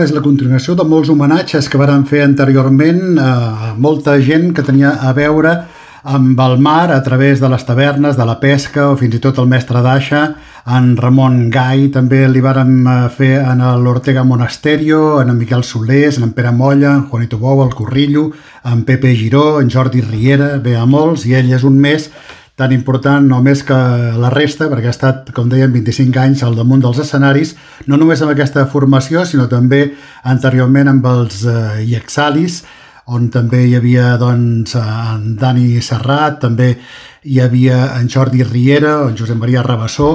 És la continuació de molts homenatges que varen fer anteriorment a molta gent que tenia a veure amb el mar a través de les tavernes, de la pesca o fins i tot el mestre d'Aixa, en Ramon Gai, també li vàrem fer en l'Ortega Monasterio, en Miquel Solés, en Pere Molla, en Juanito Bou, el Corrillo, en Pepe Giró, en Jordi Riera, ve a molts, i ell és un més tan important o més que la resta, perquè ha estat, com dèiem, 25 anys al damunt dels escenaris, no només amb aquesta formació, sinó també anteriorment amb els Iexalis, on també hi havia doncs, en Dani Serrat, també hi havia en Jordi Riera, en Josep Maria Rabassó,